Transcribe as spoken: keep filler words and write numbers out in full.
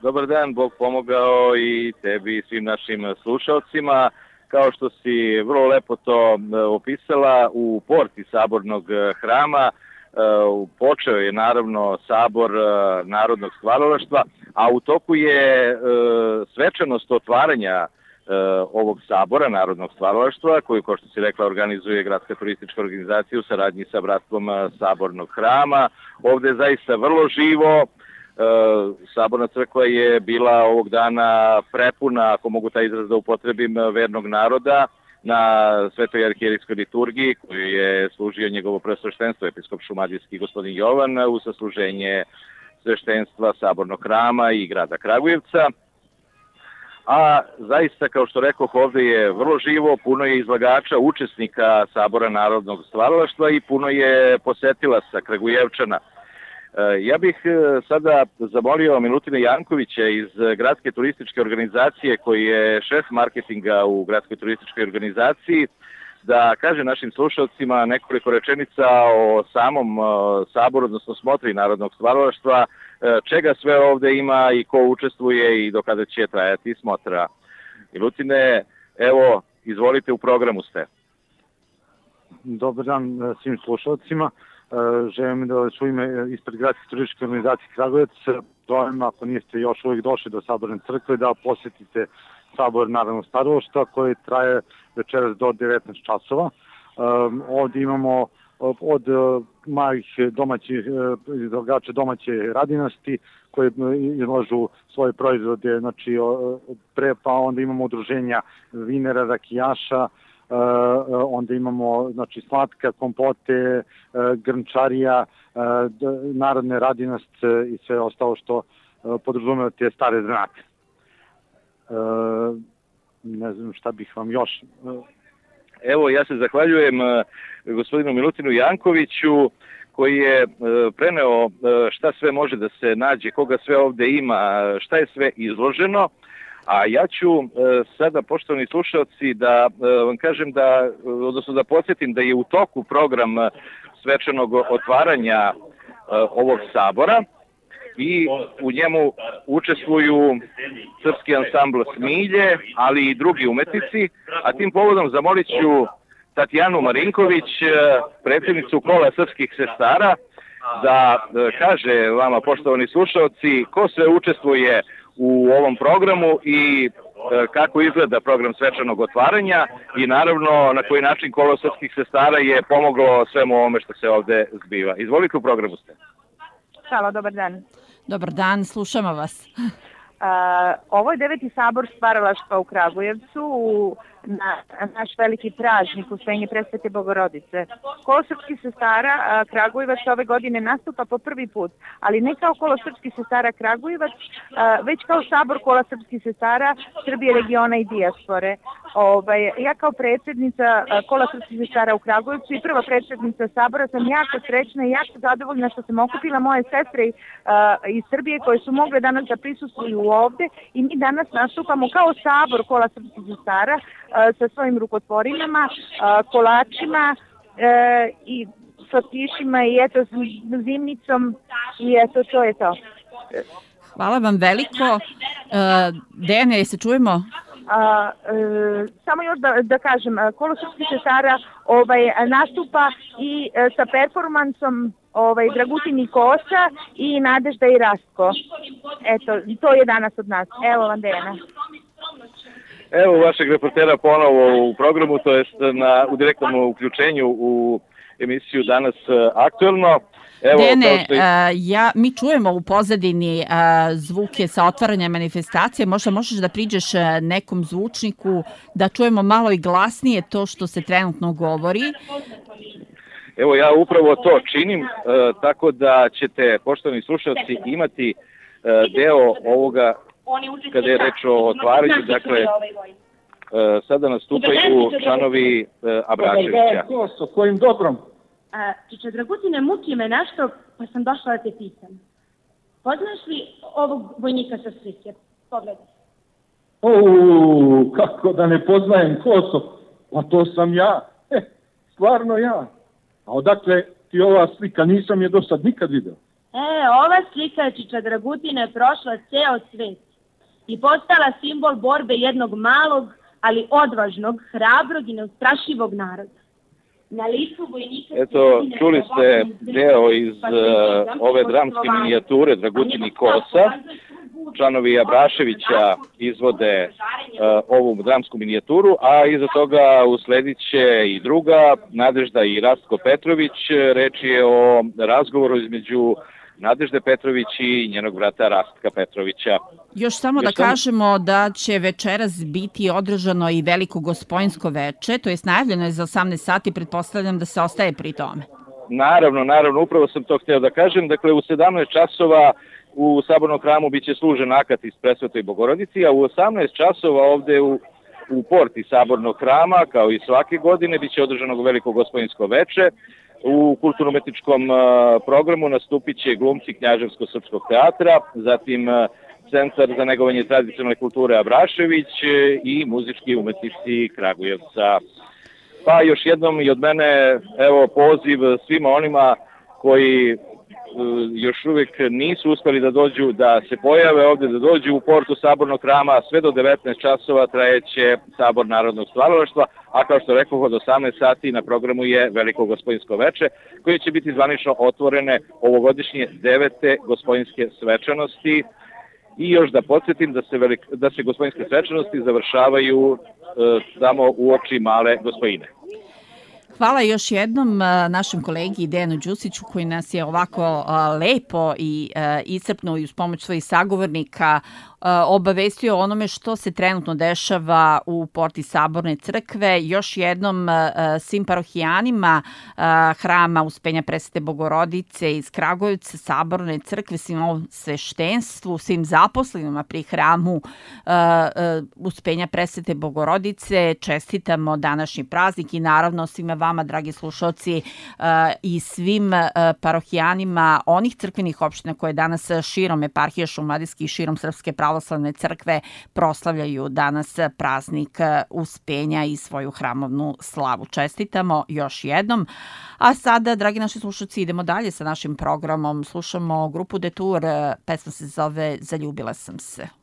Dobar dan, Bog pomogao i tebi i svim našim slušalcima. Kao što si vrlo lepo to opisala, u porti Sabornog hrama počeo je naravno Sabor narodnog stvaralaštva, a u toku je svečanost otvaranja ovog Sabora narodnog stvaralaštva, koju, kao što si rekla, organizuje Gradska turistička organizacija u saradnji sa Bratstvom Sabornog hrama. Ovde je zaista vrlo živo. Saborna crkva je bila ovog dana prepuna, ako mogu taj izraz da upotrebim, vernog naroda na Svetoj arhijerejskoj liturgiji koju je služio njegovo preosveštenstvo episkop šumadijski gospodin Jovan u sasluženje sveštenstva Sabornog hrama i grada Kragujevca. A zaista, kao što rekoh, ovde je vrlo živo, puno je izlagača, učesnika Sabora narodnog stvaralaštva i puno je posetilaca Kragujevčana. Ja bih sada zamolio Milutina Jankovića iz Gradske turističke organizacije, koji je šef marketinga u Gradskoj turističkoj organizaciji, da kaže našim slušalcima nekoliko rečenica o samom saboru, odnosno smotri narodnog stvaralaštva, čega sve ovde ima i ko učestvuje i do kada će trajati smotra. Milutine, evo, izvolite, u programu ste. Dobar dan svim slušalcima. Želim da su ime ispred Gradske turističke organizacije Kragujevac zovem, ako niste još uvijek došli do Saborne crkve, da posjetite Sabor narodnog stvaralaštva koji traje večeras do devetnaest časova. Ovdje imamo od malih domaćih izlagača domaće radinosti koje izlažu svoje proizvode, znači pre, pa onda imamo udruženja vinera, rakijaša, onda imamo znači slatka, kompote, grnčarija, narodne radinost i sve ostalo što podrazumeva te stare zanate. Ne znam šta bih vam još. Evo, ja se zahvaljujem gospodinu Milutinu Jankoviću koji je preneo šta sve može da se nađe, koga sve ovde ima, šta je sve izloženo. A ja ću sada, poštovani slušalci, da vam kažem da, odnosno da podsjetim da je u toku program svečanog otvaranja ovog sabora i u njemu učestvuju srpski ansambl Smilje, ali i drugi umetnici, a tim povodom zamolit ću Tatjanu Marinković, predsjednicu Kola srpskih sestara, da kaže vama, poštovani slušalci, ko sve učestvuje u ovom programu i kako izgleda program svečanog otvaranja i naravno na koji način Kolo srpskih sestara je pomoglo svemu ovome što se ovde zbiva. Izvolite, u programu ste. Halo, dobar dan. Dobar dan, slušamo vas. Uh, ovo je deveti sabor stvaralaštva u Kragujevcu, na naš veliki praznik Uspenje Presvete Bogorodice. Kolo srpskih sestara uh, Kragujevac ove godine nastupa po prvi put, ali ne kao Kolo srpskih sestara Kragujevac, uh, već kao sabor Kola srpskih sestara Srbije, regiona i dijaspore. Ovaj, ja kao predsjednica uh, Kola srpskih sestara u Kragujevcu i prva predsjednica sabora sam jako srećna i jako zadovoljna što sam okupila moje sestre uh, iz Srbije koje su mogle danas da prisustvuju ovde i mi danas nastupamo kao sabor Kola srpskih sestara sa svojim rukotvorinama, kolačima i slatkišima i eto zimnicom i eto to je to. Hvala vam veliko. Dejane, jel se čujemo? A, e, samo još da, da kažem, Kolo srpskih sestara ovaj, nastupa i e, sa performansom ovaj, Dragutin i Kosa i Nadežda i Rastko. Eto, to je danas od nas. Evo vam, Dejana. Evo vašeg reportera ponovo u programu, to jest na, u direktnom uključenju u emisiju Danas aktuelno. Evo, Dene, što... ja, mi čujemo u pozadini a, zvuke sa otvaranja manifestacije. Možda možeš da priđeš nekom zvučniku da čujemo malo i glasnije to što se trenutno govori? Evo, ja upravo to činim, a, tako da ćete, poštovani slušalci, imati a, deo ovoga kada je reč o otvaranju. Dakle, a, sada nastupaju članovi Abračevića. Ko, kojim dobrom? Čiče Dragutine, muči me nešto, pa sam došla da te pitam. Poznaš li ovog vojnika sa slike? Pogledaj. O, kako da ne poznajem Koso? Pa to sam ja. E, stvarno ja. A odakle ti ova slika? Nisam je do sad nikad vidio. E, ova slika Čiča Dragutine je prošla ceo svet i postala simbol borbe jednog malog, ali odvažnog, hrabrog i neustrašivog naroda. Na licu vojnika... Eto, čuli ste deo iz uh, ove dramske minijature Dragutini kosa. Članovi Abraševića izvode uh, ovu dramsku minijaturu, a iza toga usledit će i druga, Nadežda i Rastko Petrović. Reč je o razgovoru između Nadežde Petrović i njenog brata Rastka Petrovića. Još samo Još da sam... kažemo da će večeras biti održano i veliko gospojinsko veče, to je najavljeno je za osamnaest sati, pretpostavljam da se ostaje pri tome. Naravno, naravno, upravo sam to htio da kažem. Dakle, u sedamnaest časova u Sabornom hramu biće služen akat iz Presvetoj Bogorodici, a u osamnaest časova ovde u, u porti Sabornog hrama, kao i svake godine, biće održano veliko gospojinsko veče. U kulturno-umetničkom programu nastupit će glumci Knjaževsko-srpskog teatra, zatim Centar za negovanje tradicionalne kulture Abrašević i muzički umetnici Kragujevca. Pa još jednom i od mene, evo, poziv svima onima koji još uvijek nisu uspeli da dođu, da se pojave ovde, da dođu u portu Sabornog hrama. Sve do devetnaest časova trajeće Sabor narodnog stvaralaštva, a kao što rekao, od osamnaest sati na programu je veliko gospojinsko veče, koje će biti zvanično otvorene ovogodišnje devete gospojinske svečanosti. I još da podsjetim da se, velik, da se gospojinske svečanosti završavaju e, samo u oči male gospojine. Hvala još jednom našem kolegi Dejanu Đusiću koji nas je ovako lepo i iscrpno i uz pomoć svojih sagovornika obavestio o onome što se trenutno dešava u porti Saborne crkve. Još jednom svim parohijanima hrama Uspenja Presvete Bogorodice iz Kragujevca, Saborne crkve, svim ovom sveštenstvu, svim zaposlenima pri hramu Uspenja Presvete Bogorodice čestitamo današnji praznik i naravno svima vama, dragi slušalci, i svim parohijanima onih crkvenih opština koje danas širom eparhije šumadijskih i širom Srpske pravoslavne crkve proslavljaju danas praznik Uspenja i svoju hramovnu slavu. Čestitamo još jednom. A sada, dragi naši slušalci, idemo dalje sa našim programom. Slušamo grupu Detour, pesma se zove Zaljubila sam se.